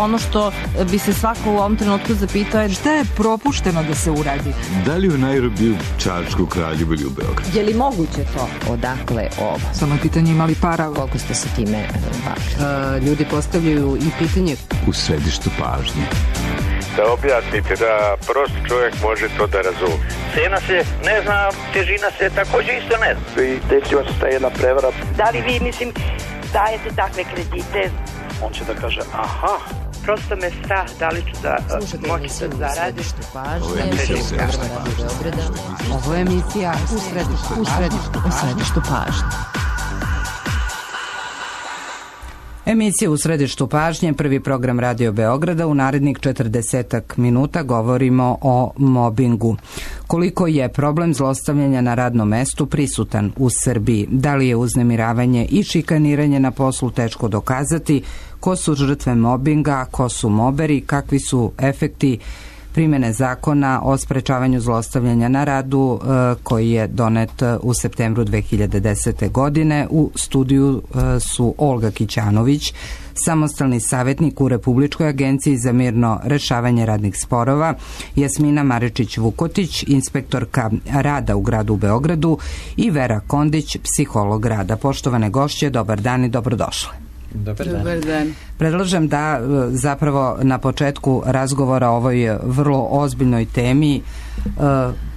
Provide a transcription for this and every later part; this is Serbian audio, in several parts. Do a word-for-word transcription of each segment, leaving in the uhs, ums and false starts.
ono što bi se svako u ovom trenutku zapitao je šta je propušteno da se uradi? Da li u Nairobi, u Čačku, Kraljevu ili u Beogradu? Je li moguće to? Odakle ovo? Samo je pitanje imali para. Koliko ste se time bavili? Ljudi postavljaju i pitanje u središtu pažnje. Da objasnite, da prost čovjek može to da razumije. Cena se ne zna, težina se također isto ne zna. I desila se ta jedna prevara. Da li vi, mislim, dajete takve kredite? On će da kaže, aha. Prosto me strah da li ću da moći da zaradim. Ovo je emisija u središtu, u središtu, u središtu pažnje. Emisija u središtu pažnje, prvi program Radio Beograda. U narednih četrdesetak minuta govorimo o mobingu. Koliko je problem zlostavljanja na radnom mestu prisutan u Srbiji? Da li je uznemiravanje i šikaniranje na poslu teško dokazati? Ko su žrtve mobinga? Ko su moberi? Kakvi su efekti primjene zakona o sprečavanju zlostavljanja na radu koji je donet u septembru dve hiljade desete. godine. U studiju su Olga Kićanović, samostalni savjetnik u Republičkoj agenciji za mirno rešavanje radnih sporova, Jasmina Maričić-Vukotić, inspektorka rada u gradu Beogradu i Vera Kondić, psiholog rada. Poštovane gošće, dobar dan i dobrodošle. Dobar dan. Dobar dan. Predlažem da zapravo na početku razgovora o ovoj vrlo ozbiljnoj temi uh,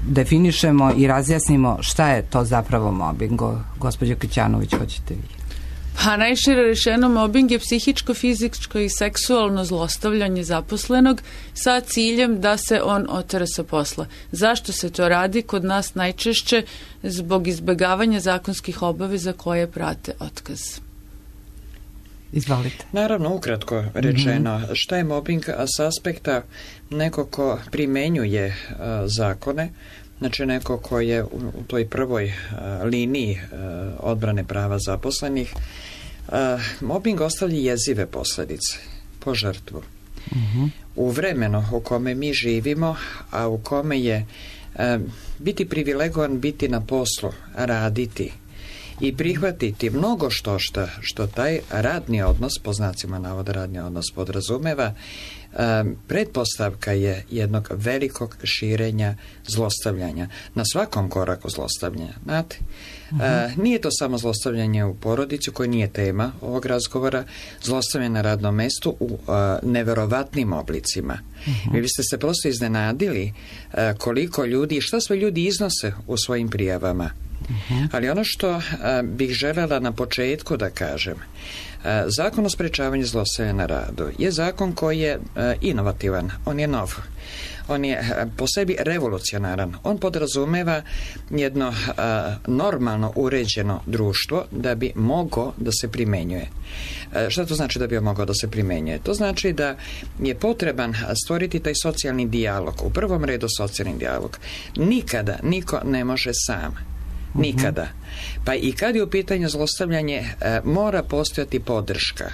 definišemo i razjasnimo šta je to zapravo mobing. Gospođo Kićanović, hoćete vi? Pa najšire rečeno, mobing je psihičko, fizičko i seksualno zlostavljanje zaposlenog sa ciljem da se on otera sa posla. Zašto se to radi? Kod nas najčešće zbog izbjegavanja zakonskih obaveza koje prate otkaz. Izvolite. Naravno, ukratko rečeno, mm-hmm. šta je mobbing s aspekta neko ko primenjuje uh, zakone, znači neko ko je u, u toj prvoj uh, liniji uh, odbrane prava zaposlenih. Uh, mobbing ostavlja jezive posljedice po žrtvu. Mm-hmm. U vremenu u kome mi živimo, a u kome je uh, biti privilegovan, biti na poslu, raditi i prihvatiti mnogo što šta, što taj radni odnos, po znacima navoda radni odnos podrazumeva, um, pretpostavka je jednog velikog širenja zlostavljanja. Na svakom koraku zlostavljanja, znate? Uh-huh. Uh, nije to samo zlostavljanje u porodici, koje nije tema ovog razgovora, zlostavljanje na radnom mestu u uh, neverovatnim oblicima. Uh-huh. Vi biste se prosto iznenadili uh, koliko ljudi, šta sve ljudi iznose u svojim prijavama. Uh-huh. Ali ono što uh, bih željela na početku da kažem, uh, zakon o sprečavanju zlostavljanja na radu je zakon koji je uh, inovativan, on je nov. On je uh, po sebi revolucionaran. On podrazumeva jedno uh, normalno uređeno društvo da bi mogao da se primenjuje. Uh, šta to znači da bi mogao da se primenjuje? To znači da je potreban stvoriti taj socijalni dijalog. U prvom redu socijalni dijalog. Nikada niko ne može sam. Nikada. Pa i kad je u pitanju zlostavljanje, e, mora postojati podrška.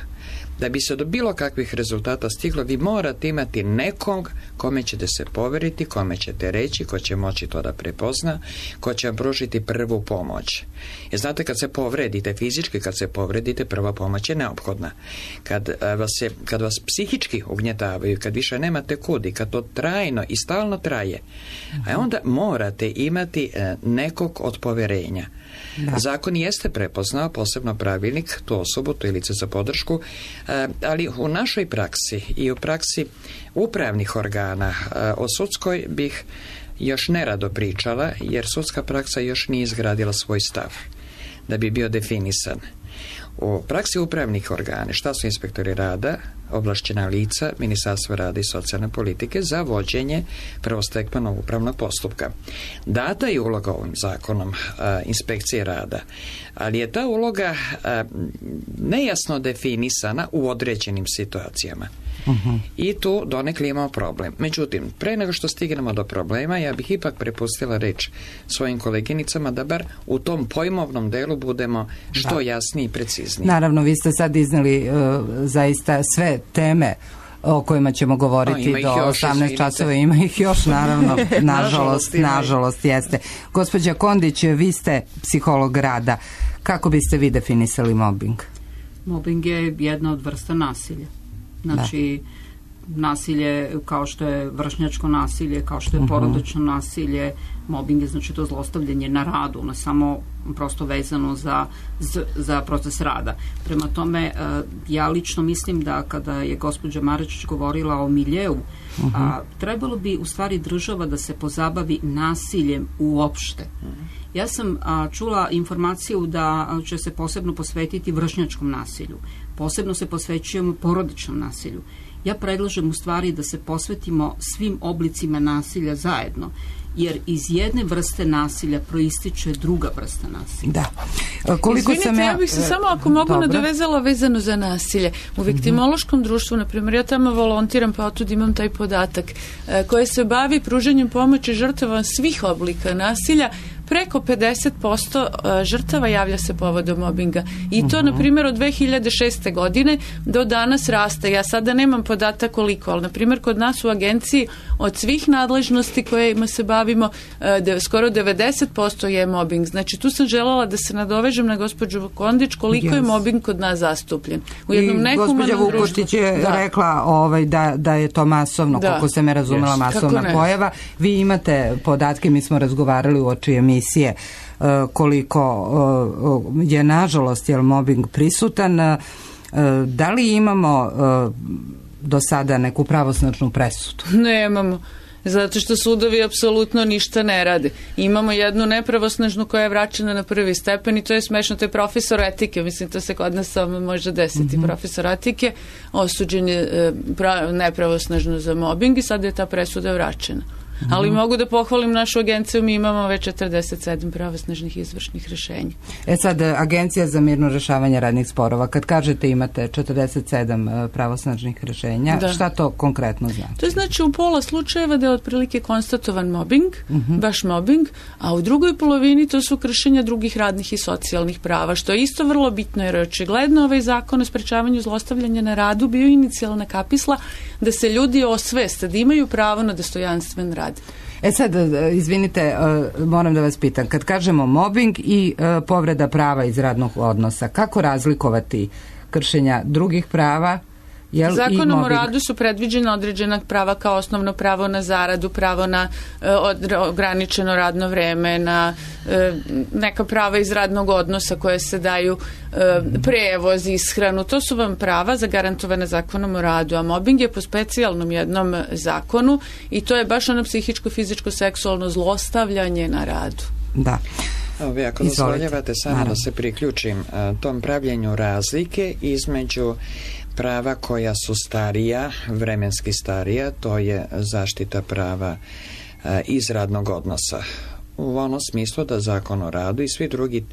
Da bi se do bilo kakvih rezultata stiglo, vi morate imati nekog kome ćete se poveriti, kome ćete reći, ko će moći to da prepozna, ko će vam pružiti prvu pomoć. Jer znate, kad se povredite fizički, kad se povredite, prva pomoć je neophodna. Kad vas, je, kad vas psihički ugnjetavaju, kad više nemate kudi, kad to trajno i stalno traje, a onda morate imati nekog od poverenja. Da. Zakon jeste prepoznao, posebno pravilnik, tu osobu, to je lice za podršku, ali u našoj praksi i u praksi upravnih organa o sudskoj bih još nerado pričala, jer sudska praksa još nije izgradila svoj stav da bi bio definisan. U praksi upravnih organa, šta su inspektori rada, ovlašćena lica Ministarstva rada i socijalne politike za vođenje prvostepenog upravnog postupka. Data je uloga ovim zakonom a, inspekcije rada, ali je ta uloga a, nejasno definisana u određenim situacijama. Uh-huh. I tu donekle imamo problem. Međutim, pre nego što stignemo do problema, ja bih ipak prepustila reč svojim koleginicama da bar u tom pojmovnom delu budemo što da. jasniji i precizniji. Naravno, vi ste sad izneli uh, zaista sve teme o kojima ćemo govoriti do osamnaest časova. Ima ih još, naravno, nažalost, nažalost jeste. Gospođa Kondić, vi ste psiholog rada. Kako biste vi definisali mobbing? Mobbing je jedna od vrsta nasilja. Znači, da. nasilje kao što je vršnjačko nasilje, kao što je porodično nasilje, mobbing je znači to zlostavljanje na radu, ne samo prosto vezano za, za proces rada. Prema tome, ja lično mislim da kada je gospođa Marečić govorila o miljeu, uh-huh. a, trebalo bi u stvari država da se pozabavi nasiljem uopšte. Uh-huh. Ja sam a, čula informaciju da će se posebno posvetiti vršnjačkom nasilju. Posebno se posvećujemo porodičnom nasilju. Ja predlažem u stvari da se posvetimo svim oblicima nasilja zajedno, jer iz jedne vrste nasilja proističe druga vrsta nasilja. Da. Koliko Izvinite, sam ja... ja bih se samo, ako mogu, Dobro. nadovezala vezano za nasilje. U viktimološkom mm-hmm. društvu, na primjer, ja tamo volontiram, pa otud imam taj podatak, koje se bavi pružanjem pomoći žrtava svih oblika nasilja. Preko pedeset posto žrtava javlja se povodom mobinga. I to, na primjer, od dve hiljade šeste. godine do danas raste. Ja sada nemam podatak koliko, ali, na primjer, kod nas u agenciji od svih nadležnosti kojima se bavimo, de, skoro devedeset posto je mobing. Znači, tu sam željela da se nadovežem na gospođu Kondić koliko yes. je mobing kod nas zastupljen. U jednom I gospođa Vukoštić je da. rekla ovaj, da, da je to masovno, da. koliko se me razumela, yes. masovna pojava. Vi imate podatke, mi smo razgovarali u oči emisije koliko je nažalost jel mobbing prisutan. Da li imamo do sada neku pravosnažnu presudu? Nemamo. Zato što sudovi apsolutno ništa ne rade. Imamo jednu nepravosnažnu koja je vraćena na prvi stepen i to je smešno, to je profesor etike, mislim to se kod nas samo može desiti. Mm-hmm. Profesor etike osuđen je nepravosnažno za mobbing i sad je ta presuda vraćena. Mm-hmm. Ali mogu da pohvalim našu agenciju, mi imamo već četrdeset sedam pravosnažnih izvršnih rješenja. E sad, Agencija za mirno rješavanje radnih sporova, kad kažete imate četrdeset sedam pravosnažnih rješenja, da. Šta to konkretno znači? To znači u pola slučajeva da je otprilike konstatovan mobbing, mm-hmm. baš mobbing, a u drugoj polovini to su kršenja drugih radnih i socijalnih prava, što je isto vrlo bitno jer očigledno ovaj zakon o sprečavanju zlostavljanja na radu bio inicijalna kapisla da se ljudi osveste, da imaju pravo na dostojanstven rad. E sad, izvinite, moram da vas pitam, kad kažemo mobbing i povreda prava iz radnog odnosa, kako razlikovati kršenja drugih prava? Jel, Zakonom o radu su predviđena određena prava kao osnovno pravo na zaradu, pravo na e, ograničeno radno vreme, na e, neka prava iz radnog odnosa koje se daju, e, prevoz, ishranu. To su vam prava zagarantovane Zakonom o radu, a mobbing je po specijalnom jednom zakonu i to je baš ono psihičko, fizičko, seksualno zlostavljanje na radu. Da. Ovi, ako dozvoljavate samo Naravno. da se priključim uh, tom pravljenju razlike između prava koja su starija, vremenski starija, to je zaštita prava uh, iz radnog odnosa. U onom smislu da Zakon o radu i svi drugi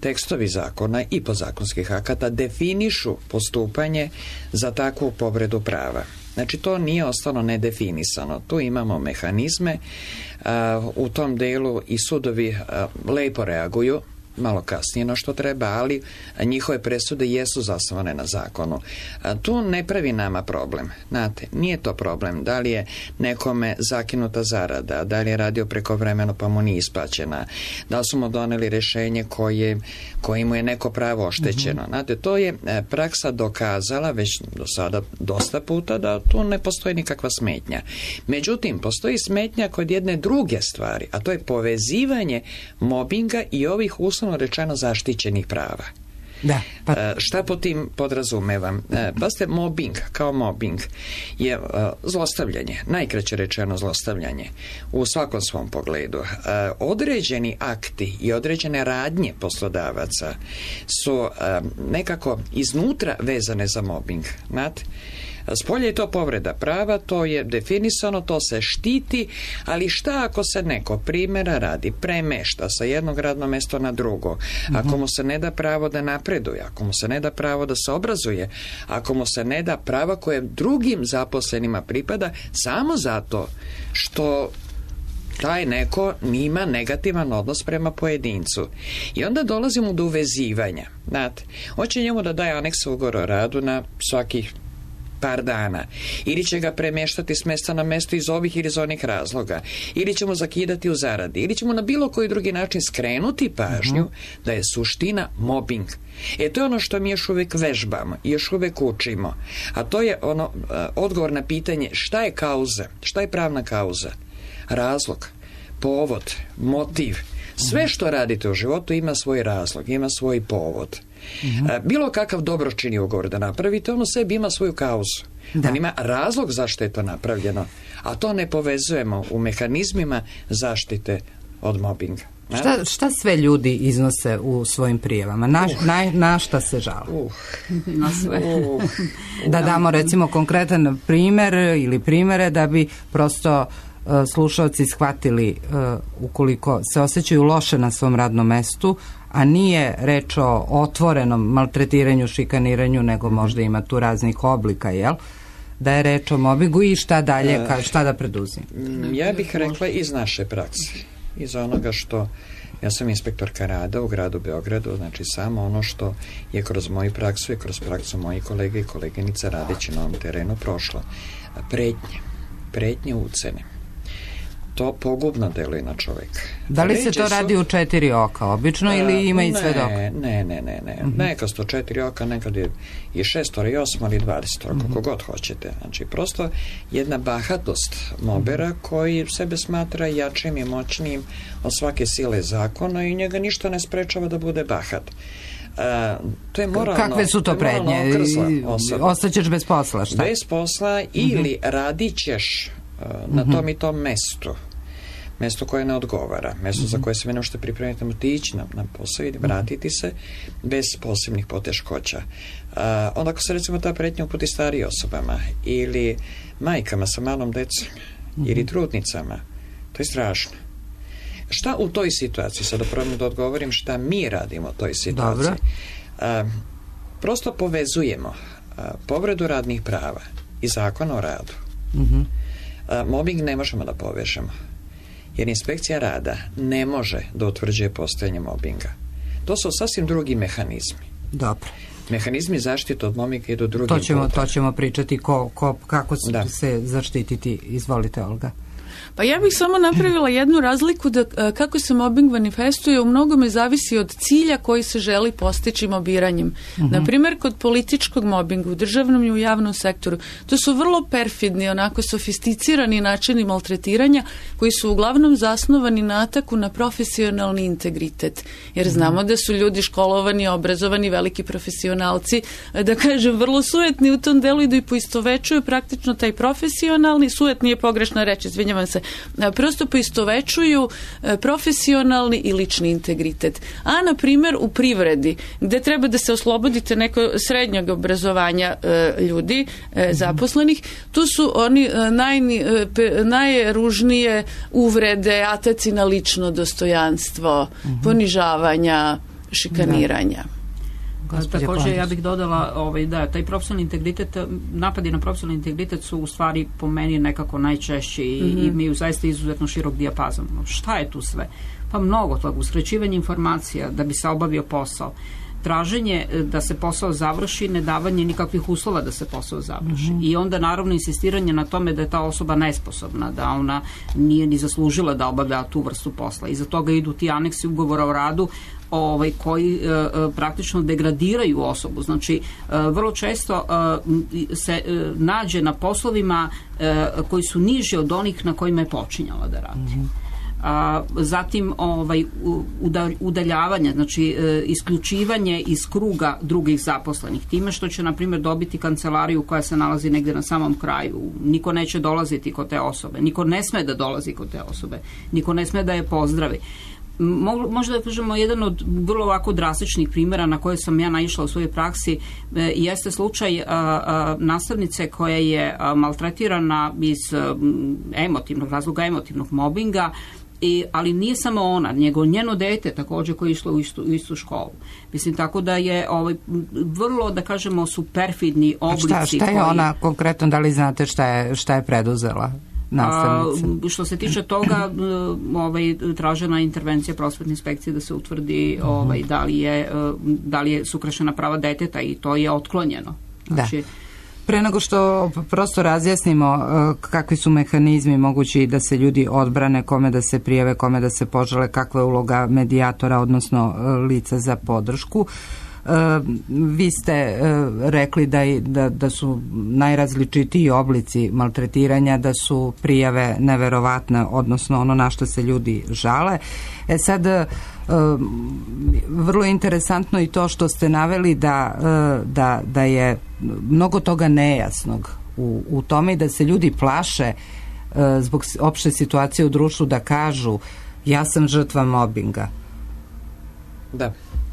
tekstovi zakona i podzakonskih akata definišu postupanje za takvu povredu prava. Znači, to nije ostalo nedefinisano. Tu imamo mehanizme, uh, u tom delu i sudovi uh, lepo reaguju, malo kasnije no što treba, ali njihove presude jesu zasnovane na zakonu. A tu ne pravi nama problem. Znate, nije to problem. Da li je nekome zakinuta zarada, da li je radio prekovremeno pa mu nije isplaćena, da li su mu doneli rješenje koje, koje mu je neko pravo oštećeno. Mm-hmm. Znate, to je praksa dokazala već do sada dosta puta da tu ne postoji nikakva smetnja. Međutim, postoji smetnja kod jedne druge stvari, a to je povezivanje mobinga i ovih uslovno rečeno zaštićenih prava. Da, pa... e, šta po tim podrazumevam? E, pa ste mobbing, kao mobbing je e, zlostavljanje, najkraće rečeno zlostavljanje u svakom svom pogledu. E, određeni akti i određene radnje poslodavaca su e, nekako iznutra vezane za mobbing. Znate? Spolje je to povreda prava, to je definisano, to se štiti, ali šta ako se neko primjera radi, premešta sa jednog radnog mjesta na drugo, ako mu se ne da pravo da napreduje, ako mu se ne da pravo da se obrazuje, ako mu se ne da prava koje drugim zaposlenima pripada, samo zato što taj neko nima negativan odnos prema pojedincu. I onda dolazimo do uvezivanja. Znate, hoće njemu da daje aneks ugovora o radu na svakih par dana, ili će ga premještati s mjesta na mjesto iz ovih ili iz onih razloga, ili ćemo zakidati u zaradi, ili ćemo na bilo koji drugi način skrenuti pažnju uh-huh. da je suština mobbing. E to je ono što mi još uvijek vežbamo, još uvijek učimo, a to je ono odgovor na pitanje šta je kauza, šta je pravna kauza, razlog, povod, motiv. Sve što radite u životu ima svoj razlog, ima svoj povod. Uh-huh. Bilo kakav dobročini ugovor da napravite, ono sebi ima svoju kauzu. Da. On ima razlog zašto je to napravljeno, a to ne povezujemo u mehanizmima zaštite od mobinga. Šta, šta sve ljudi iznose u svojim prijavama? Na, uh. na, na šta se žale? Uh. Na sve. Uh. Da damo recimo konkretan primjer ili primjere da bi prosto uh, slušalci shvatili uh, ukoliko se osjećaju loše na svom radnom mestu, a nije reč o otvorenom maltretiranju, šikaniranju, nego možda ima tu raznih oblika, jel? Da je reč o mobingu i šta dalje, ka, šta da preduzim? Ja bih rekla iz naše prakse, iz onoga što, ja sam inspektorka rada u gradu Beogradu, znači samo ono što je kroz moju praksu i kroz praksu mojih kolega i koleginica radeći na ovom terenu prošlo. Pretnje, pretnje ucene. To pogubno deluje na čovjeka. Da li se to su... radi u četiri oka obično a, ili ima i svedok? Ne, ne, ne, ne. ne. Uh-huh. Nekad sto četiri oka, nekad je i šestora i osma ili dvadesetora, uh-huh. kako god hoćete. Znači, prosto jedna bahatost mobera koji sebe smatra jačim i moćnijim od svake sile zakona i njega ništa ne sprečava da bude bahat. A, to je moralno, kakve su to, to prednje? Ostaćeš bez posla, šta? Bez posla uh-huh. ili radit ćeš na tom i tom mestu, mesto koje ne odgovara, mesto mm-hmm. za koje se vi ne možete pripremiti, otići na, na posao i vratiti se bez posebnih poteškoća. Uh, onda ako se recimo ta pretnja uputi stariji osobama ili majkama sa malom decom mm-hmm. ili trudnicama, to je strašno. Šta u toj situaciji, sada probam da odgovorim šta mi radimo u toj situaciji. Uh, prosto povezujemo uh, povredu radnih prava i zakona o radu. Mm-hmm. A, mobbing ne možemo da povežemo, jer inspekcija rada ne može da utvrđuje postojanje mobbinga. To su sasvim drugi mehanizmi. Dobro. Mehanizmi zaštite od mobbinga idu drugim to ćemo, putem. To ćemo pričati ko, ko, kako da. se zaštititi. Izvolite, Olga. Pa ja bih samo napravila jednu razliku da kako se mobbing manifestuje u mnogome zavisi od cilja koji se želi postići mobiranjem. Uh-huh. Naprimjer, kod političkog mobbinga u državnom i u javnom sektoru, to su vrlo perfidni, onako sofisticirani načini maltretiranja koji su uglavnom zasnovani na ataku na profesionalni integritet. Jer znamo da su ljudi školovani, obrazovani, veliki profesionalci, da kažem, vrlo sujetni u tom delu i da i poistovečuju praktično taj profesionalni, sujet nije pogrešna reč, izvinjavam se, prosto poistovečuju profesionalni i lični integritet. A, na primjer, u privredi, gde treba da se oslobodite neko srednjeg obrazovanja ljudi, zaposlenih, tu su oni naj, najružnije uvrede, ataci na lično dostojanstvo, ponižavanja, šikaniranja. Također ja bih dodala ovaj, da taj profesionalni integritet, napadi na profesionalni integritet su u stvari po meni nekako najčešći i, mm-hmm. i imaju zaista izuzetno širok dijapazon. Šta je tu sve? Pa mnogo toga, uskraćivanje informacija da bi se obavio posao, traženje da se posao završi, ne davanje nikakvih uslova da se posao završi. Mm-hmm. I onda naravno insistiranje na tome da je ta osoba nesposobna, da ona nije ni zaslužila da obavlja tu vrstu posla. Iza toga idu ti aneksi ugovora o radu ovaj, koji e, praktično degradiraju osobu. Znači, e, vrlo često e, se e, nađe na poslovima e, koji su niži od onih na kojima je počinjala da radi. Mm-hmm. A, zatim ovaj, udaljavanje, znači e, isključivanje iz kruga drugih zaposlenih, time što će, na primjer, dobiti kancelariju koja se nalazi negdje na samom kraju. Niko neće dolaziti kod te osobe, niko ne sme da dolazi kod te osobe, niko ne sme da je pozdravi. Možda da kažemo jedan od vrlo ovako drastičnih primjera na koje sam ja naišla u svojoj praksi e, jeste slučaj a, a, nastavnice koja je a, maltretirana iz a, emotivnog razloga, emotivnog mobinga, I, ali nije samo ona, nego njeno dete također koje je išlo u istu, u istu školu. Mislim, tako da je ovaj, vrlo, da kažemo, su perfidni oblici. A šta, šta je koji... ona konkretno, da li znate šta je, šta je preduzela? A, što se tiče toga, ovaj, tražena je intervencija prosvetne inspekcije da se utvrdi ovaj, da li je, da li je su kršena prava deteta i to je otklonjeno. Znači, Pre nego što prosto razjasnimo kakvi su mehanizmi mogući da se ljudi odbrane, kome da se prijave, kome da se požale, kakva je uloga medijatora, odnosno lica za podršku. Vi ste rekli da, da, da su najrazličitiji oblici maltretiranja, da su prijave neverovatne, odnosno ono na što se ljudi žale. E sad, vrlo interesantno i to što ste naveli da, da, da je mnogo toga nejasnog u, u tome i da se ljudi plaše zbog opšte situacije u društvu da kažu ja sam žrtva mobinga. Da.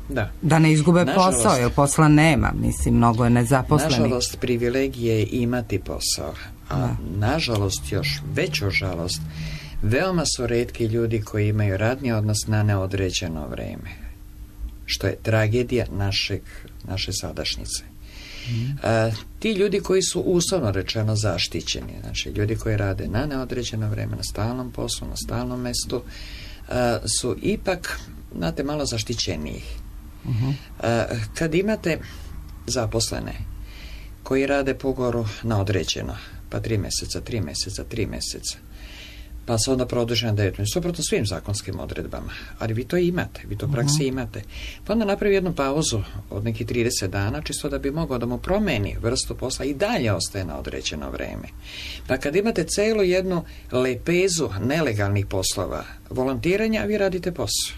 Da. Da ne izgube nažalost, posao, jer posla nema, mislim, mnogo je nezaposlenih. Nažalost, privilegije je imati posao, a da. nažalost, još veću žalost, veoma su retki ljudi koji imaju radni odnos na neodređeno vreme, što je tragedija našeg, naše sadašnjice. Mm. A, ti ljudi koji su uslovno rečeno zaštićeni, znači ljudi koji rade na neodređeno vreme, na stalnom poslu, na stalnom mestu, a, su ipak, znate, malo zaštićeniji. Uh-huh. Kad imate zaposlene koji rade po ugovoru na određeno, pa tri mjeseca, tri mjeseca, tri mjeseca, pa se onda produži na devet mjeseca, suprotno svim zakonskim odredbama, ali vi to imate, vi to u praksi uh-huh. imate, pa onda napravi jednu pauzu od nekih trideset dana, čisto da bi mogao da mu promeni vrstu posla i dalje ostaje na određeno vreme. Pa kad imate celu jednu lepezu nelegalnih poslova volontiranja, vi radite posao,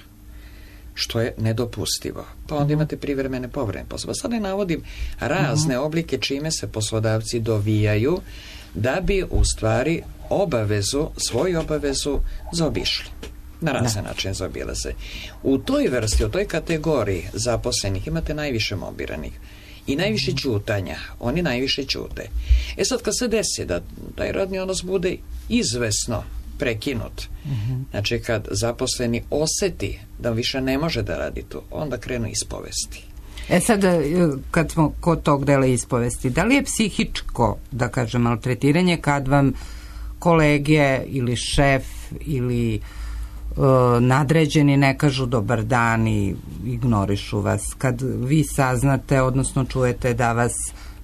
što je nedopustivo. Pa onda imate privremene povremene poslove. Sad ne navodim razne oblike čime se poslodavci dovijaju da bi u stvari obavezu, svoju obavezu zaobišli. Na razne načine zaobilaze. U toj vrsti, u toj kategoriji zaposlenih imate najviše mobiranih i najviše ćutanja. Oni najviše ćute. E sad kad se desi da taj radni odnos bude izvesno prekinut, uh-huh. znači kad zaposleni oseti da više ne može da radi tu, onda krenu ispovesti. E sad, kad smo kod tog dela ispovesti, da li je psihičko, da kažem, maltretiranje kad vam kolege ili šef ili uh, nadređeni ne kažu dobar dan i ignorišu vas, kad vi saznate, odnosno čujete da vas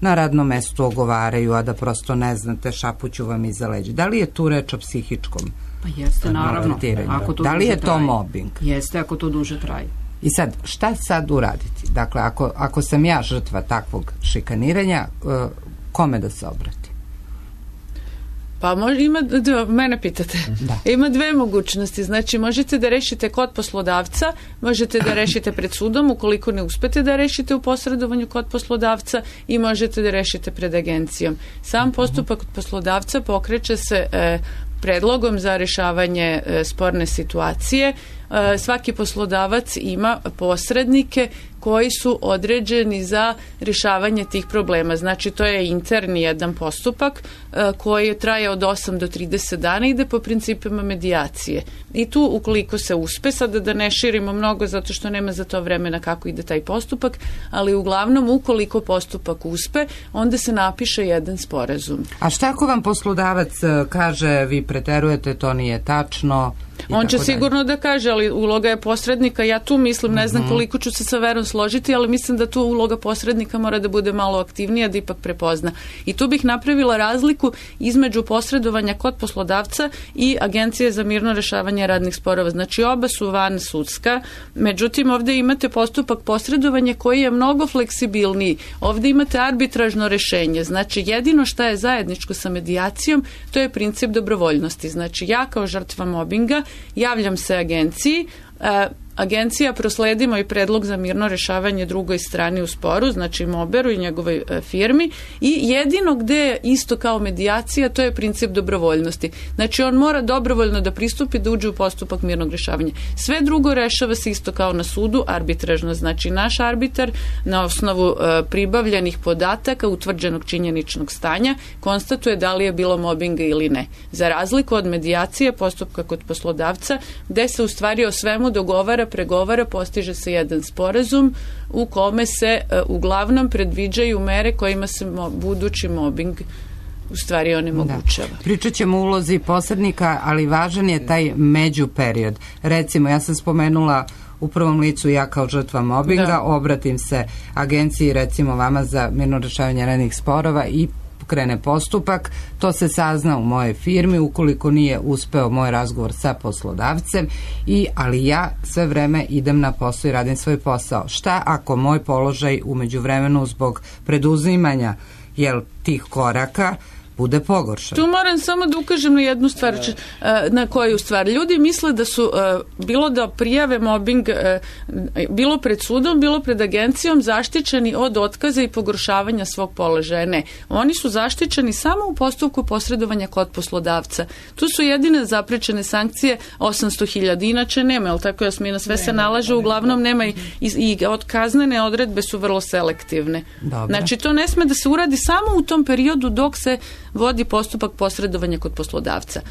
na radnom mestu ogovaraju, a da prosto ne znate, šapuću vam iza leđa. Da li je tu reč o psihičkom? Pa jeste, naravno. Ako to da li je to traje. Mobbing? Jeste, ako to duže traje. I sad, šta sad uraditi? Dakle, ako, ako sam ja žrtva takvog šikaniranja, kome da se obrati? Pa može, ima, da, mene pitate, da. Ima dve mogućnosti, znači možete da rešite kod poslodavca, možete da rešite pred sudom ukoliko ne uspete da rešite u posredovanju kod poslodavca i možete da rešite pred agencijom. Sam postupak kod poslodavca pokreće se e, predlogom za rešavanje e, sporne situacije. E, svaki poslodavac ima posrednike koji su određeni za rješavanje tih problema. Znači, to je interni jedan postupak e, koji traje od osam do trideset dana, ide po principima medijacije. I tu, ukoliko se uspe, sada da ne širimo mnogo, zato što nema za to vremena kako ide taj postupak, ali uglavnom, ukoliko postupak uspe, onda se napiše jedan sporazum. A šta ako vam poslodavac kaže, vi preterujete, to nije tačno? On će sigurno da kaže, ali uloga je posrednika, ja tu mislim, ne znam koliko ću se sa Verom složiti, ali mislim da tu uloga posrednika mora da bude malo aktivnija, da ipak prepozna. I tu bih napravila razliku između posredovanja kod poslodavca i Agencije za mirno rešavanje radnih sporova. Znači, oba su van sudska, međutim, ovdje imate postupak posredovanja koji je mnogo fleksibilniji. Ovdje imate arbitražno rešenje. Znači, jedino šta je zajedničko sa medijacijom, to je princip dobrovoljnosti. Znači, ja kao žrtva mobinga javljam se agenciji, agencija prosledi moj predlog za mirno rešavanje drugoj strani u sporu, znači Moberu i njegovoj firmi, i jedino gde je isto kao medijacija, to je princip dobrovoljnosti. Znači, on mora dobrovoljno da pristupi, da uđe u postupak mirnog rešavanja. Sve drugo rešava se isto kao na sudu, arbitražno. Znači, naš arbitar na osnovu e, pribavljenih podataka, utvrđenog činjeničnog stanja, konstatuje da li je bilo mobinga ili ne. Za razliku od medijacije, postupka kod poslodavca, gde se u stvari o svemu dogovara, pregovara, postiže se jedan sporazum u kome se e, uglavnom predviđaju mere kojima se mo, budući mobbing u stvari onemogućava. Da. Pričat ćemo o ulozi posrednika, ali važan je taj međuperiod. Recimo, ja sam spomenula u prvom licu ja kao žrtva mobinga, da. Obratim se agenciji, recimo vama za mirno rešavanje radnih sporova i krene postupak, to se sazna u mojoj firmi, ukoliko nije uspeo moj razgovor sa poslodavcem, i, ali ja sve vreme idem na posao i radim svoj posao. Šta ako moj položaj u međuvremenu zbog preduzimanja jel, tih koraka bude pogoršan? Tu moram samo da ukažem na jednu stvar, na koju stvar. Ljudi misle da su, bilo da prijave mobbing, bilo pred sudom, bilo pred agencijom, zaštićeni od otkaza i pogoršavanja svog položaja. Ne. Oni su zaštićeni samo u postupku posredovanja kod poslodavca. Tu su jedine zaprečene sankcije osamsto hiljada. Inače nema, ali tako, Jasmina, sve se nalaže, uglavnom nema i, i od kaznene odredbe su vrlo selektivne. Dobre. Znači, to ne sme da se uradi samo u tom periodu dok se vodi postupak posredovanja kod poslodavca.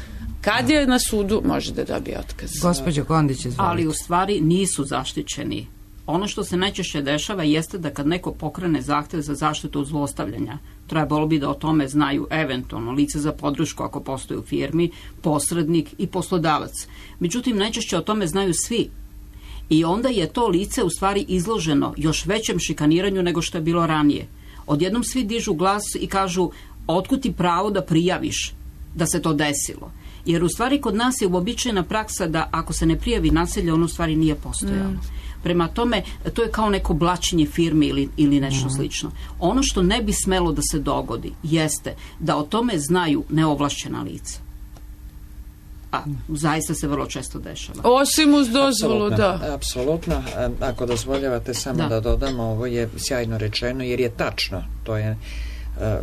Kad je na sudu, može da dobije otkaz. Gospođo Kondić, izvolite. Ali u stvari nisu zaštićeni. Ono što se najčešće dešava jeste da kad neko pokrene zahtev za zaštitu od zlostavljanja, trebalo bi da o tome znaju eventualno lice za podršku ako postoji u firmi, posrednik i poslodavac. Međutim, najčešće o tome znaju svi. I onda je to lice u stvari izloženo još većem šikaniranju nego što je bilo ranije. Odjednom svi dižu glas i kažu: otkud ti pravo da prijaviš da se to desilo? Jer u stvari kod nas je uobičajena praksa da ako se ne prijavi nasilje, ono u stvari nije postojalo. Mm. Prema tome, to je kao neko blaćenje firme ili, ili nešto mm. slično. Ono što ne bi smelo da se dogodi jeste da o tome znaju neovlašćena lica. A zaista se vrlo često dešava. Osim uz dozvolu, da. Apsolutno. Ako dozvoljavate samo da. da dodamo, ovo je sjajno rečeno jer je tačno. To je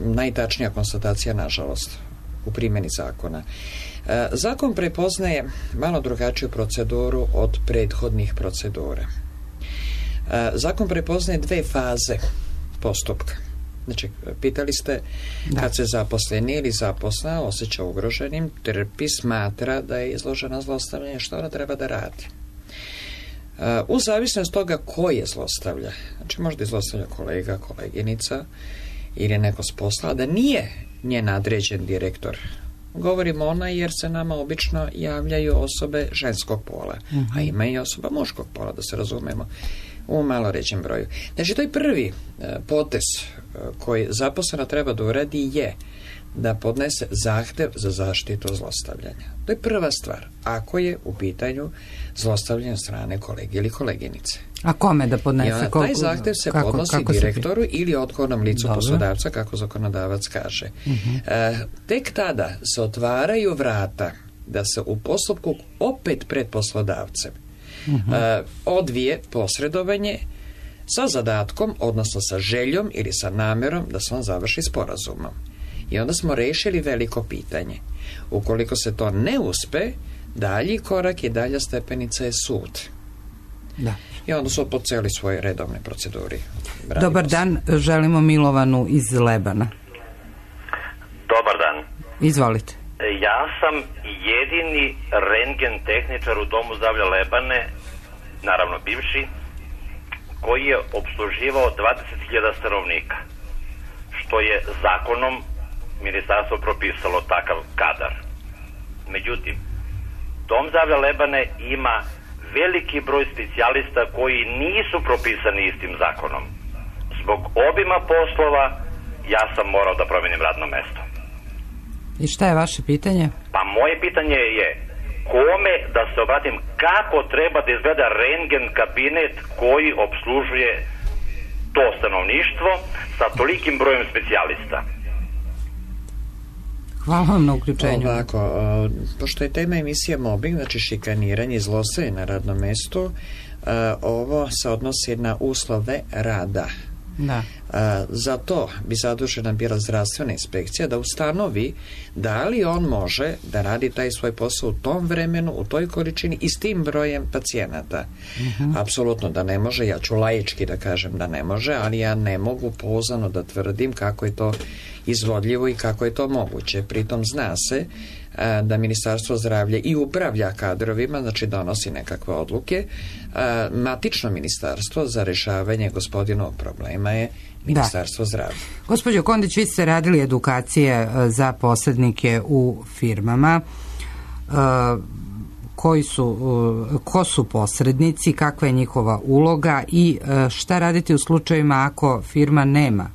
najtačnija konstatacija, nažalost, u primjeni zakona. Zakon prepoznaje malo drugačiju proceduru od prethodnih procedura. Zakon prepoznaje dve faze postupka. Znači, pitali ste da. Kad se zaposleni ili zaposla osjeća ugroženim, trpi, smatra da je izložena zlostavljanju, što ona treba da radi. U zavisnosti toga ko je zlostavlja, znači možda je zlostavlja kolega, koleginica ili neko s posla, da nije njen nadređen direktor. Govorimo ona jer se nama obično javljaju osobe ženskog pola, uh-huh. a ima i osoba muškog pola, da se razumemo, u malo ređem broju. Znači, to je prvi potez koji zaposlena treba da uradi je da podnese zahtev za zaštitu zlostavljanja. To je prva stvar, ako je u pitanju zlostavljanje strane kolege ili koleginice. A kome da podnese? Ona, taj zahtev se kako, podnosi kako direktoru se... ili odgovornom licu Dobre. Poslodavca, kako zakonodavac kaže. Uh-huh. E, tek tada se otvaraju vrata da se u postupku opet pred poslodavcem uh-huh. e, odvije posredovanje sa zadatkom, odnosno sa željom ili sa namerom da se on završi sporazumom. I onda smo rešili veliko pitanje. Ukoliko se to ne uspe, dalji korak i dalja stepenica je sud. Da. I onda su poceli svoje redovne proceduri. Radimo Dobar dan, želimo Milovanu iz Lebana. Dobar dan. Izvolite. Ja sam jedini rentgen tehničar u Domu zdravlja Lebane, naravno bivši, koji je obsluživao dvadeset hiljada stanovnika, što je zakonom ministarstvo propisalo takav kadar. Međutim, Dom zdravlja Lebane ima veliki broj specijalista koji nisu propisani istim zakonom. Zbog obima poslova ja sam morao da promenim radno mesto. I šta je vaše pitanje? Pa moje pitanje je kome da se obratim, kako treba da izgleda rentgen kabinet koji obslužuje to stanovništvo sa tolikim brojem specijalista. Hvala vam na uključenju. Ovako, o, pošto je tema emisije mobbing, znači šikaniranje i zlostavljanje na radnom mestu, o, ovo se odnosi na uslove rada. Da. A, za to bi zadužena bila zdravstvena inspekcija da ustanovi da li on može da radi taj svoj posao u tom vremenu, u toj količini i s tim brojem pacijenata. Uh-huh. Apsolutno da ne može, ja ću laički da kažem da ne može, ali ja ne mogu pouzdano da tvrdim kako je to izvodljivo i kako je to moguće. Pritom zna se a, da Ministarstvo zdravlja i upravlja kadrovima, znači donosi nekakve odluke. A, matično ministarstvo za rešavanje gospodinovog problema je Ministarstvo da. zdravlja. Gospođo Kondić, vi ste radili edukacije za posrednike u firmama. koji su, ko su posrednici, kakva je njihova uloga i šta raditi u slučajevima ako firma nema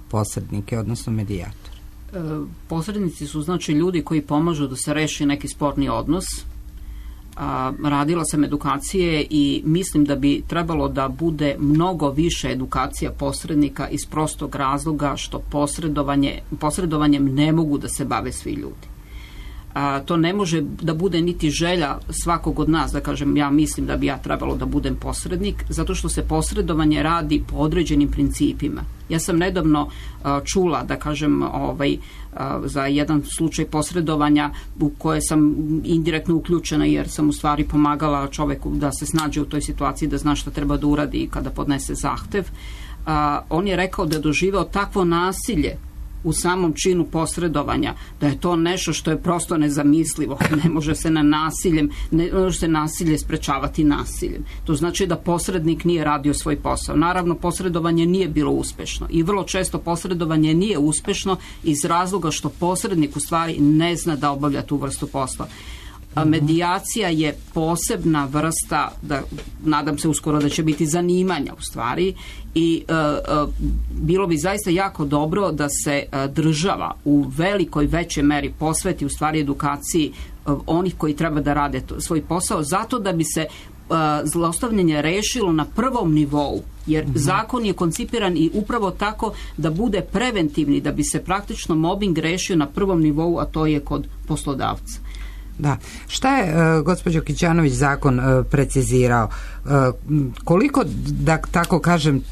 posrednike, odnosno medijator? Posrednici su znači ljudi koji pomažu da se reši neki sporni odnos. A, radila sam edukacije i mislim da bi trebalo da bude mnogo više edukacija posrednika iz prostog razloga što posredovanje, posredovanjem ne mogu da se bave svi ljudi. A, to ne može da bude niti želja svakog od nas, da kažem ja mislim da bi ja trebalo da budem posrednik, zato što se posredovanje radi po određenim principima. Ja sam nedavno a, čula, da kažem, ovaj, a, za jedan slučaj posredovanja u koje sam indirektno uključena jer sam u stvari pomagala čoveku da se snađe u toj situaciji, da zna šta treba da uradi kada podnese zahtev. A, on je rekao da je doživeo takvo nasilje u samom činu posredovanja, da je to nešto što je prosto nezamislivo. Ne može se na nasiljem, ne može se nasilje sprečavati nasiljem. To znači da posrednik nije radio svoj posao. Naravno, posredovanje nije bilo uspešno i vrlo često posredovanje nije uspešno iz razloga što posrednik u stvari ne zna da obavlja tu vrstu posla. A medijacija je posebna vrsta, da, nadam se uskoro da će biti zanimanja u stvari i e, e, bilo bi zaista jako dobro da se e, država u velikoj većoj meri posveti u stvari edukaciji e, onih koji treba da rade to, svoj posao, zato da bi se e, zlostavljanje rešilo na prvom nivou, jer mm-hmm. zakon je koncipiran i upravo tako da bude preventivni, da bi se praktično mobbing rešio na prvom nivou, a to je kod poslodavca. Da. Šta je, uh, gospođo Kićanović, zakon uh, precizirao? Uh, koliko, da tako kažem,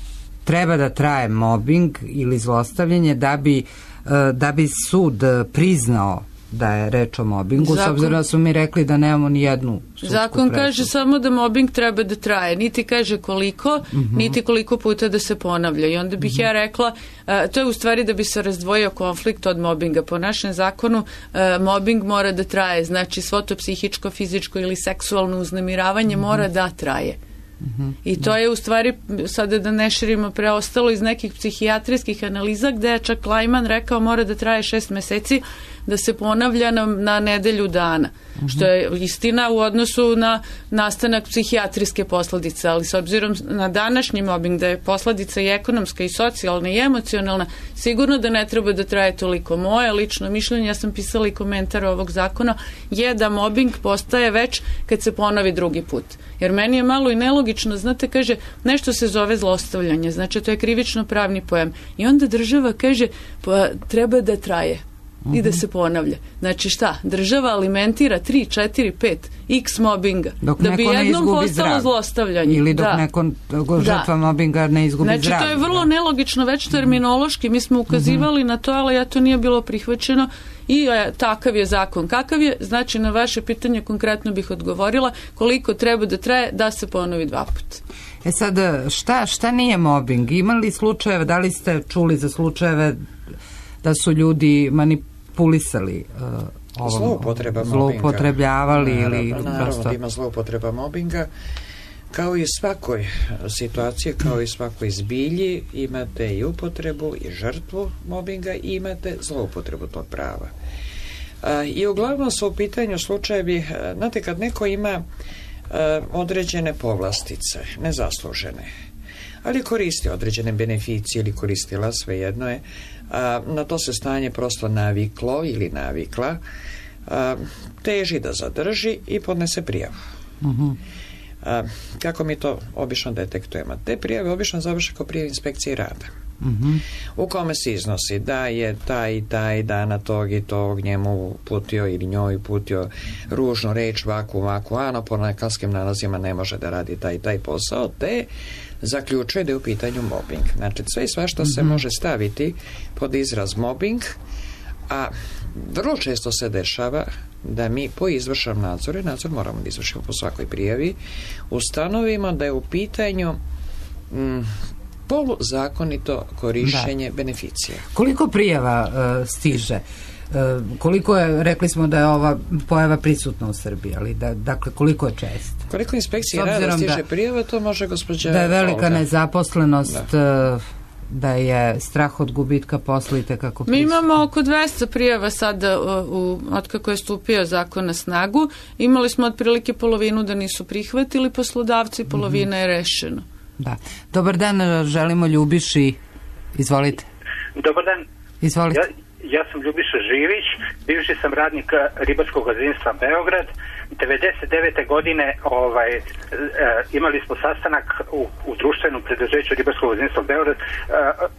treba da traje mobbing ili zlostavljanje da bi, uh, da bi sud priznao da je reč o mobbingu, zakon, s obzirom da su mi rekli da nemamo ni jednu sudsku zakon presudu. Kaže samo da mobbing treba da traje, niti kaže koliko, mm-hmm. niti koliko puta da se ponavlja. I onda bih mm-hmm. ja rekla, uh, to je u stvari da bi se razdvojio konflikt od mobbinga. Po našem zakonu uh, mobbing mora da traje, znači svo to psihičko, fizičko ili seksualno uznemiravanje mm-hmm. mora da traje. Mm-hmm. I to je u stvari, sada da ne širimo, preostalo iz nekih psihijatrijskih analiza gde je čak Lajman rekao mora da traje šest meseci, da se ponavlja na, na nedelju dana. Mm-hmm. Što je istina u odnosu na nastanak psihijatrijske posledice, ali s obzirom na današnji mobbing da je posledica i ekonomska i socijalna i emocionalna, sigurno da ne treba da traje toliko. Moje lično mišljenje, ja sam pisala i komentar ovog zakona, je da mobbing postaje već kad se ponovi drugi put. Jer meni je malo i nelogično, znate, kaže, nešto se zove zlostavljanje, znači to je krivično pravni pojam. I onda država kaže, pa treba da traje i da se ponavlja. Znači šta? Država alimentira tri, četiri, pet x mobbinga dok da bi jednom postalo zlostavljanje. Ili dok da. neko žrtva da. mobbinga ne izgubi znači, zdravlje. Znači to je vrlo da. nelogično već terminološki. Mi smo ukazivali mm-hmm. na to, ali ja to nije bilo prihvaćeno i e, takav je zakon. Kakav je? Znači na vaše pitanje konkretno bih odgovorila koliko treba da traje da se ponovi dva puta. E sad, šta, šta nije mobbing? Imali slučajeve, da li ste čuli za slučajeve da su ljudi manipulisali uh, ovom, zloupotreba zloupotrebljavali mobbinga. ili Naravno, naravno prosto... da ima zloupotreba mobbinga. Kao i svakoj situaciji, kao i svakoj zbilji, imate i upotrebu i žrtvu mobbinga i imate zloupotrebu tog prava. A, I uglavnom su u pitanju slučajevi, znate, kad neko ima a, određene povlastice, nezaslužene, ali koristi određene beneficije ili koristila, svejedno je, a, na to se stanje prosto naviklo ili navikla, a, teži da zadrži i podnese prijavu. Uh-huh. A, kako mi to obično detektujemo? Te prijave obično završe kao prijave inspekcije rada. Uh-huh. U kome se iznosi da je taj i taj dana tog i tog njemu putio ili njoj putio ružnu reč, vaku, vaku, ano, po lekarskim nalazima ne može da radi taj i taj posao, te zaključuje da je u pitanju mobbing. Znači, sve i svašta uh-huh. se može staviti pod izraz mobbing, a vrlo često se dešava da mi po izvršnom nadzoru, nadzor moramo da izvršimo po svakoj prijavi, ustanovimo da je u pitanju mm, poluzakonito korišćenje da. beneficija. Koliko prijava uh, stiže? Uh, koliko je, rekli smo da je ova pojava prisutna u Srbiji, ali da, dakle, koliko je često? Koliko inspekcije rada stiže da, prijava, to može gospođa... Da je velika Olga. nezaposlenost... Da. Uh, da je strah od gubitka posla i tekako Mi imamo oko dvesta prijava sada u, od kako je stupio zakon na snagu. Imali smo otprilike polovinu da nisu prihvatili poslodavci, polovina je rešeno. Da. Dobar dan, želimo Ljubiši. Izvolite. Dobar dan. Izvolite. Ja, ja sam Ljubiša Živić, bivši sam radnik ribarskog gazdinstva Beograd. devedeset devete godine ovaj, e, imali smo sastanak u, u društvenom preduzeću ribarskog gazdinstva Beograd, e,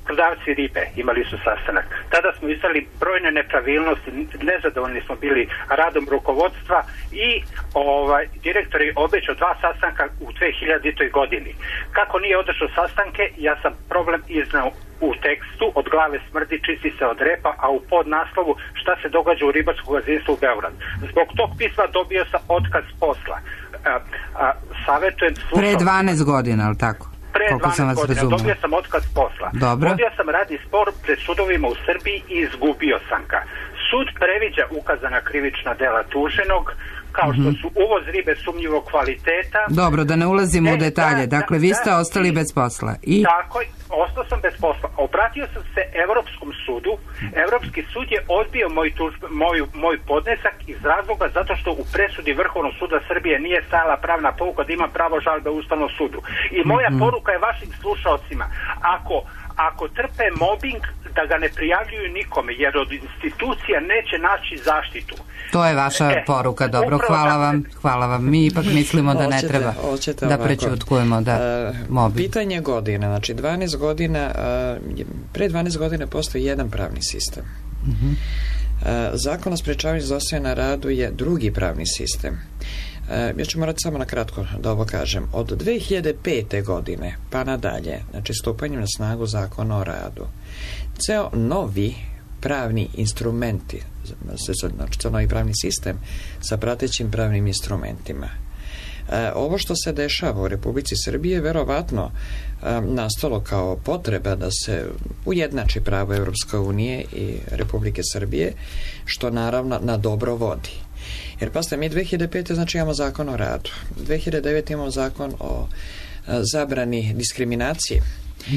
prodavci ribe imali su sastanak. Tada smo izdali brojne nepravilnosti, nezadovoljni smo bili radom rukovodstva i ovaj, direktor je obećao dva sastanka u dve hiljaditoj godini. Kako nije održao sastanke, ja sam problem iznao u tekstu, od glave smrdi, čisti se od repa, a u podnaslovu šta se događa u ribarskom gazdinstvu u Beograd. Zbog tog pisma dobio sam otkaz posla. A, a, savjetujem slušao... Pre dvanaest godina, ali tako? Pre dvanaest godina razumio. Dobio sam otkaz posla. Dobro. Vodio sam radni spor pred sudovima u Srbiji i izgubio sam ga. Sud previđa ukazana krivična dela tuženog, kao što su uvoz ribe sumnjivog kvaliteta. Dobro, da ne ulazimo e, u detalje. Da, dakle, da, vi ste da, ostali i, bez posla. I... Tako, ostao sam bez posla. Obratio sam se Evropskom sudu. Evropski sud je odbio moj, tuž, moj, moj podnesak iz razloga zato što u presudi Vrhovnog suda Srbije nije stajala pravna pouka da ima pravo žalbe u Ustavnom sudu. I moja mm-hmm. poruka je vašim slušalcima. Ako Ako trpe mobbing, da ga ne prijavljuju nikome, jer od institucija neće naći zaštitu. To je vaša e, poruka, dobro, hvala vam, hvala vam. Mi ipak mislimo da ne treba oćete da prećutkujemo da uh, mobbing. Pitanje godine, znači dvanaest godina, uh, pre dvanaest godina postoji jedan pravni sistem. Uh-huh. Uh, Zakon o sprečavanju zlostavljanja na radu je drugi pravni sistem. Ja ću morati samo na kratko da ovo kažem. Od dve hiljade pete godine pa nadalje, znači stupanjem na snagu Zakona o radu, ceo novi pravni instrumenti, znači ceo novi pravni sistem sa pratećim pravnim instrumentima. E, ovo što se dešava u Republici Srbije je verovatno e, nastalo kao potreba da se ujednači pravo Evropske unije i Republike Srbije, što naravno na dobro vodi. Jer pasite, mi dve hiljade pete znači imamo zakon o radu, dve hiljade devete imamo zakon o a, zabrani diskriminacije.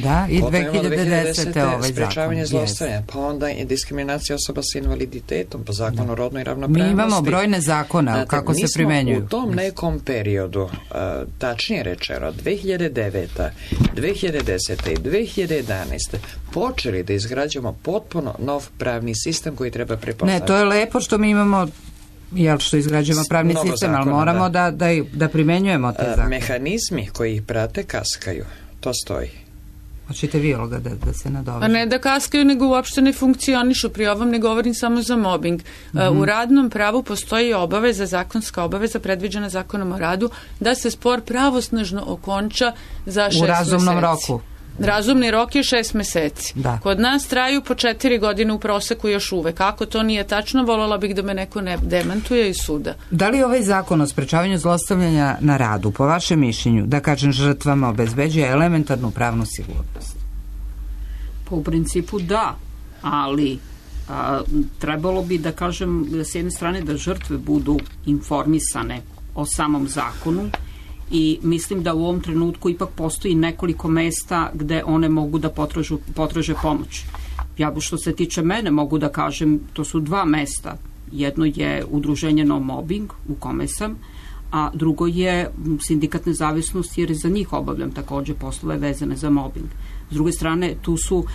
Da, i dve hiljade desete ovaj zakon. Sprečavanje zlostavljanja, pa onda i diskriminacija osoba sa invaliditetom, pa zakon da. o rodnoj ravnopravnosti. Mi imamo brojne zakona, Znate, kako se primenjuju. U tom nekom periodu, a, tačnije rečeno, dve hiljade devete, dve hiljade desete i dve hiljade jedanaeste počeli da izgrađujemo potpuno nov pravni sistem koji treba prepoznati. Ne, to je lepo što mi imamo jel što izgrađujemo pravni Mnogo sistem, zakona, ali moramo da, da, da primenjujemo te zakone. Mehanizmi koji ih prate kaskaju, to stoji. Hoćete vi, Olga, da, da se nadoveže? A ne da kaskaju, nego uopšte ne funkcionišu. Pri ovom ne govorim samo za mobbing. Mm-hmm. U radnom pravu postoji obaveza, zakonska obaveza predviđena Zakonom o radu, da se spor pravosnažno okonča za šest meseci. U razumnom meseci. roku. Razumni rok je šest meseci. Da. Kod nas traju po četiri godine u proseku još uvek. Ako to nije tačno, voljela bih da me neko ne demantuje iz suda. Da li ovaj zakon o sprečavanju zlostavljanja na radu, po vašem mišljenju, da kažem žrtvama, obezbeđuje elementarnu pravnu sigurnost? Po u principu da, ali a, trebalo bi da kažem s jedne strane da žrtve budu informisane o samom zakonu, i mislim da u ovom trenutku ipak postoji nekoliko mesta gde one mogu da potražu, potraže pomoć. Ja, što se tiče mene, mogu da kažem, to su dva mesta. Jedno je udruženje No Mobbing, u kome sam, a drugo je sindikat Nezavisnost, jer za njih obavljam takođe poslove vezane za mobbing. S druge strane, tu su uh,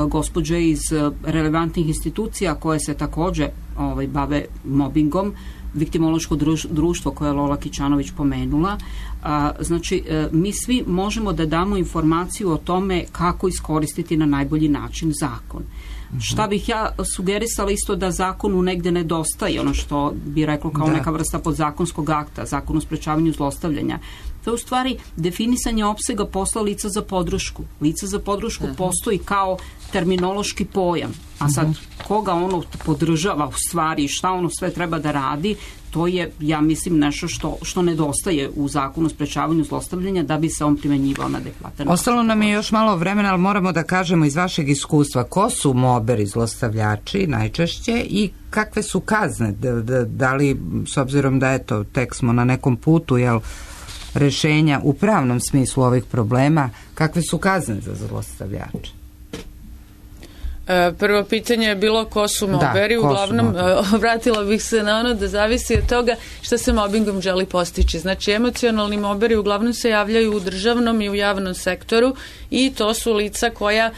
gospođe iz uh, relevantnih institucija koje se takođe ovaj, bave mobbingom, viktimološko društvo koje je Lola Kićanović pomenula. A, znači, e, mi svi možemo da damo informaciju o tome kako iskoristiti na najbolji način zakon. Mm-hmm. Šta bih ja sugerisala isto da zakonu negde nedostaje, ono što bi reklo kao da. neka vrsta podzakonskog akta, zakon o sprečavanju zlostavljanja. To je u stvari definisanje opsega posla lica za podršku. Lica za podršku uh-huh. postoji kao terminološki pojam, a sad uh-huh. koga ono podržava u stvari, šta ono sve treba da radi, to je, ja mislim, nešto što, što nedostaje u zakonu o sprečavanju zlostavljanja da bi se on primenjivao na adekvatan način. Ostalo nam je još malo vremena, ali moramo da kažemo iz vašeg iskustva ko su moberi, zlostavljači najčešće i kakve su kazne? Da, da, da li, s obzirom da eto, tek smo na nekom putu, jel, rešenja u pravnom smislu ovih problema, kakve su kazne za zlostavljače? Prvo pitanje je bilo ko su moberi, da, uglavnom vratila bih se na ono da zavisi od toga šta se mobingom želi postići. Znači, emocionalni moberi uglavnom se javljaju u državnom i u javnom sektoru i to su lica koja,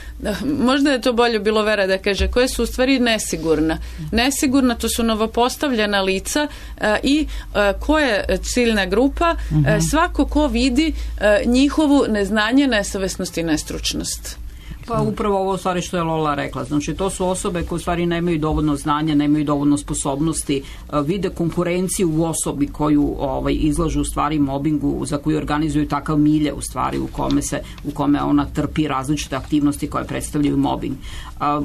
možda je to bolje bilo Vera da kaže, koje su u stvari nesigurna. Nesigurna, to su novopostavljena lica i ko je ciljna grupa, mm-hmm. svako ko vidi njihovu neznanje, nesavesnost i nestručnost. Pa upravo ovo stvari što je Lola rekla. Znači, to su osobe koje u stvari nemaju dovoljno znanja, nemaju dovoljno sposobnosti, vide konkurenciju u osobi koju ovaj, izlažu u stvari mobingu, za koju organizuju takav milje u stvari u kome, se, u kome ona trpi različite aktivnosti koje predstavljaju mobing. A,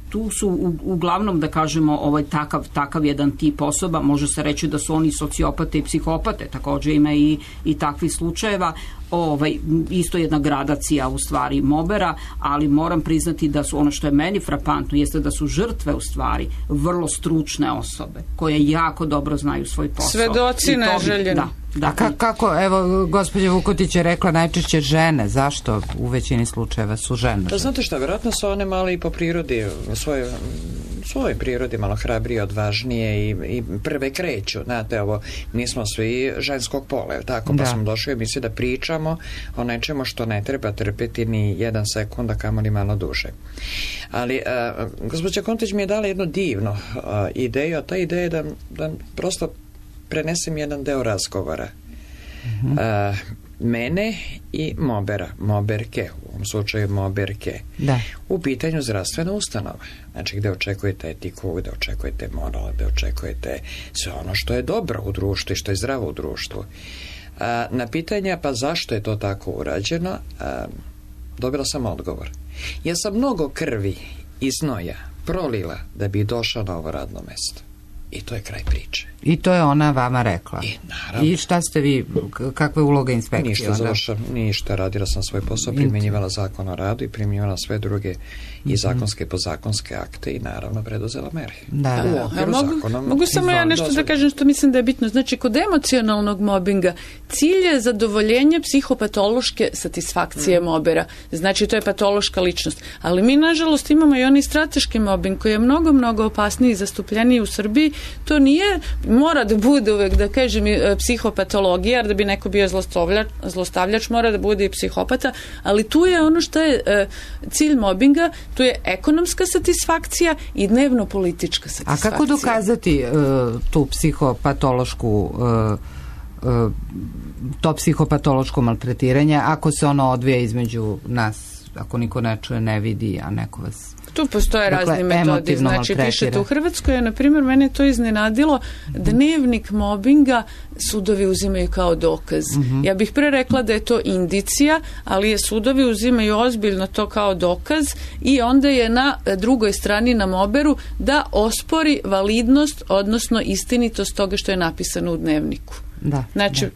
tu su u, uglavnom, da kažemo, ovaj, takav, takav jedan tip osoba, može se reći da su oni sociopate i psihopate, također ima i, i takvih slučajeva. Ovaj, isto jedna gradacija u stvari mobera, ali moram priznati da su, ono što je meni frapantno jeste da su žrtve u stvari vrlo stručne osobe koje jako dobro znaju svoj posao. Svedoci neželjeni. Da. Da, a kako, evo, gospođa Vukotić je rekla najčešće žene, zašto u većini slučajeva su žene? Da, znate šta, vjerojatno su one malo i po prirodi, u svojoj, svojoj prirodi malo hrabrije, odvažnije i, i prve kreću, znate, ovo, mi smo svi ženskog pola, tako, pa da. Smo došli u emisiju da pričamo o nečemu što ne treba trpeti ni jedan sekund, a kamoli malo duže. Ali, a, gospođa Kontić mi je dala jednu divnu a, ideju, a ta ideja je da, da prosto prenesem jedan deo razgovora. Uh-huh. Uh, mene i mobera, moberke, u ovom slučaju moberke, da. U pitanju zdravstvena ustanova. Znači, gde očekujete etiku, gde očekujete moral, gde očekujete sve ono što je dobro u društvu i što je zdravo u društvu. Uh, na pitanja, pa zašto je to tako urađeno, uh, dobila sam odgovor. Ja sam mnogo krvi i znoja prolila da bi došla na ovo radno mesto. I to je kraj priče. I to je ona vama rekla. I, naravno. I šta ste vi, kakva je uloga inspekcije? Ništa, završam, ništa, radila sam svoj posao, primjenjivala zakon o radu i primjenjivala sve druge i mm-hmm. zakonske i podzakonske akte i naravno preduzela mere. Da, da. A, mogu, zakonom, mogu samo ja nešto dozvolj. Da kažem što mislim da je bitno. Znači, kod emocionalnog mobinga cilj je zadovoljenje psihopatološke satisfakcije mm. mobera. Znači, to je patološka ličnost. Ali mi, nažalost, imamo i onaj strateški mobbing koji je mnogo, mnogo opasniji i zastupljeniji u Srbiji. To nije, mora da bude uvek, da kažem, psihopatologija, jer da bi neko bio zlostavljač, zlostavljač mora da bude i psihopata, ali tu je ono što je e, cilj mobinga, tu je ekonomska satisfakcija i dnevno politička satisfakcija. A kako dokazati e, tu psihopatološku e, e, to psihopatološko maltretiranje ako se ono odvija između nas, ako niko ne čuje, ne vidi, a neko vas... Tu postoje dakle, razni metodi, znači pišete u Hrvatskoj, na primjer, mene to iznenadilo, dnevnik mobinga sudovi uzimaju kao dokaz. Mm-hmm. Ja bih pre rekla da je to indicija, ali je sudovi uzimaju ozbiljno to kao dokaz i onda je na drugoj strani na moberu da ospori validnost, odnosno istinitost toga što je napisano u dnevniku. Da, znači, da.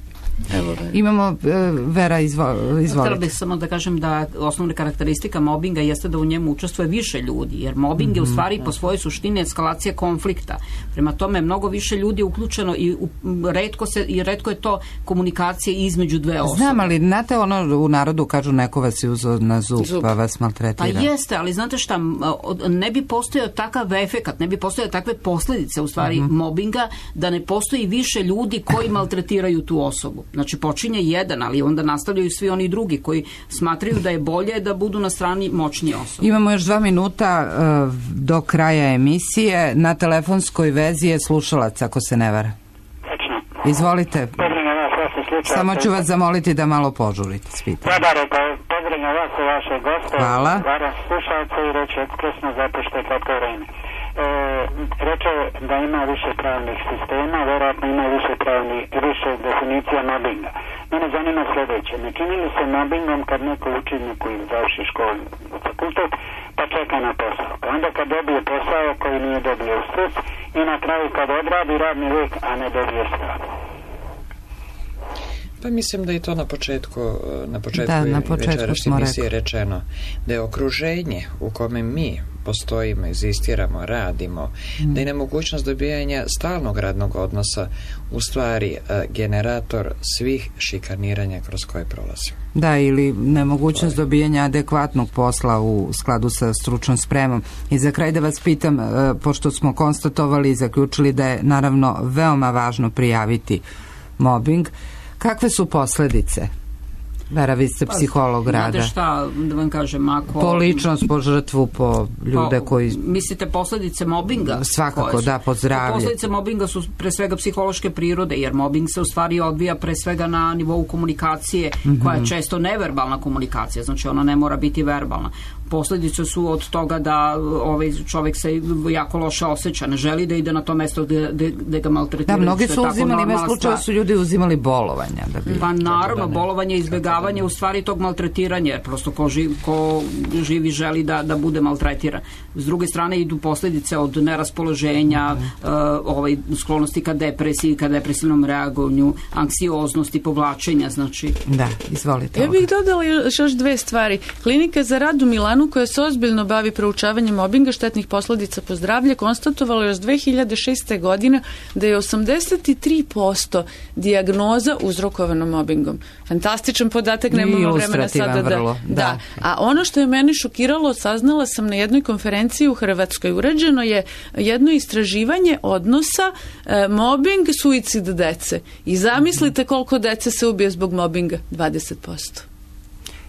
Evo, imamo Vera, izvo, izvolite. Htjela bih samo da kažem da osnovna karakteristika mobinga jeste da u njemu učestvuje više ljudi, jer mobbing mm-hmm. je u stvari po svojoj suštini eskalacija konflikta. Prema tome, mnogo više ljudi je uključeno i u, retko, se, i retko je to komunikacija između dve osobe. Znam, ali znate ono u narodu kažu neko vas je uzeo na zub, zub. Pa vas maltretira. Pa jeste, ali znate šta, ne bi postojao takav efekat, ne bi postojao takve posljedice u stvari mm-hmm. mobinga, da ne postoji više ljudi koji maltretiraju tu osobu. Znači, počinje jedan, ali onda nastavljaju svi oni drugi koji smatraju da je bolje da budu na strani moćnije osobe. Imamo još dva minuta uh, do kraja emisije. Na telefonskoj vezi je slušalac, ako se ne vara. Izvolite. Samo ću vas zamoliti da malo požurite. Dobar, pozdravljam vas i vaše goste. Hvala. Varam slušalce i reći ekspresno zato što je kratko vreme. E, reče da ima više pravnih sistema, vjerojatno ima više pravnih, više definicija mobinga. Mene zanima sljedeće. Ne čini li se mobingom kad neko učenik koji završi školu u fakultet, pa čeka na posao. Pa onda kad dobije posao koji nije dobio u struc i na kraju kad odradi radni vijek, a ne dobije stav. Pa mislim da je to na početku, na početku, da, na početku večerašnje emisije rečeno, da je okruženje u kome mi postojimo, egzistiramo, radimo, mm. da je nemogućnost dobijanja stalnog radnog odnosa u stvari generator svih šikaniranja kroz koje prolazimo. Da, ili nemogućnost dobijanja adekvatnog posla u skladu sa stručnom spremom. I za kraj da vas pitam, pošto smo konstatovali i zaključili da je naravno veoma važno prijaviti mobing, kakve su posledice? Vera, vi ste psiholog pa, rada. Znate šta, da vam kažem, ako... Po ličnost, po žrtvu, po ljude po, koji... Mislite posledice mobinga? Svakako, da, po zdravlje. Posledice mobinga su pre svega psihološke prirode, jer mobing se u stvari odvija pre svega na nivou komunikacije, mm-hmm. koja je često neverbalna komunikacija, znači ona ne mora biti verbalna. Posledice su od toga da ovaj čovjek se jako loše osjeća, ne želi da ide na to mesto gde, gde ga maltretiraju. Da, mnogi su uzimali, ima slučaja su ljudi uzimali bolovanja. Da bi, pa naravno, da bolovanje, izbjegavanje u stvari tog maltretiranja, jer prosto ko, živ, ko živi želi da, da bude maltretiran. S druge strane idu posljedice od neraspoloženja, mm. uh, ovaj, sklonosti ka depresiji, ka depresivnom reagovanju, anksioznosti, povlačenja, znači... Da, izvolite. Ja bih dodala još dve stvari. Klinika za rad u Milanu, koja se ozbiljno bavi proučavanjem mobinga, štetnih posledica po zdravlje, konstatovala još dve hiljade šeste. godine da je osamdeset tri posto dijagnoza uzrokovano mobingom. Fantastičan podatak, nemamo vremena sada da, vrlo, da. da. A ono što je meni šokiralo, saznala sam na jednoj konferenciji u Hrvatskoj. Urađeno je jedno istraživanje odnosa e, mobbing, suicid dece. I zamislite koliko dece se ubije zbog mobinga? dvadeset posto.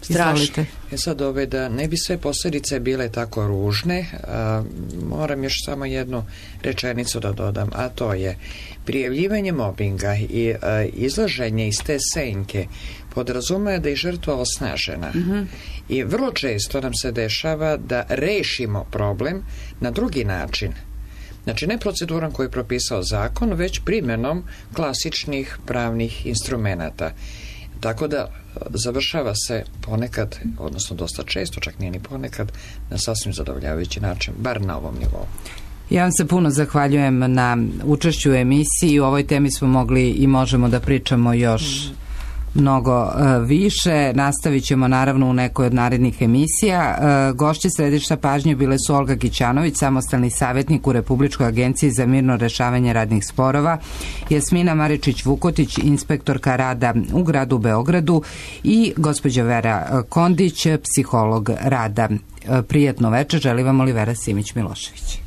Strašno. E sad ove, da ne bi sve posljedice bile tako ružne, a, moram još samo jednu rečenicu da dodam, a to je prijavljivanje mobinga i a, izlaženje iz te senke podrazumeva da je žrtva osnažena. Mm-hmm. I vrlo često nam se dešava da rešimo problem na drugi način. Znači, ne procedurom koju je propisao zakon, već primjenom klasičnih pravnih instrumenata. Tako da završava se ponekad, odnosno dosta često, čak nije ni ponekad, na sasvim zadovoljavajući način, bar na ovom nivou. Ja vam se puno zahvaljujem na učešću u emisiji. U ovoj temi smo mogli i možemo da pričamo još mm. mnogo uh, više. Nastavit ćemo naravno u nekoj od narednih emisija. Uh, gošće središta pažnje bile su Olga Gićanović, samostalni savjetnik u Republičkoj agenciji za mirno rešavanje radnih sporova, Jasmina Maričić-Vukotić, inspektorka rada u gradu Beogradu i gospođa Vera Kondić, psiholog rada. Uh, prijetno večer, želi vam Olivera Simić-Milošević.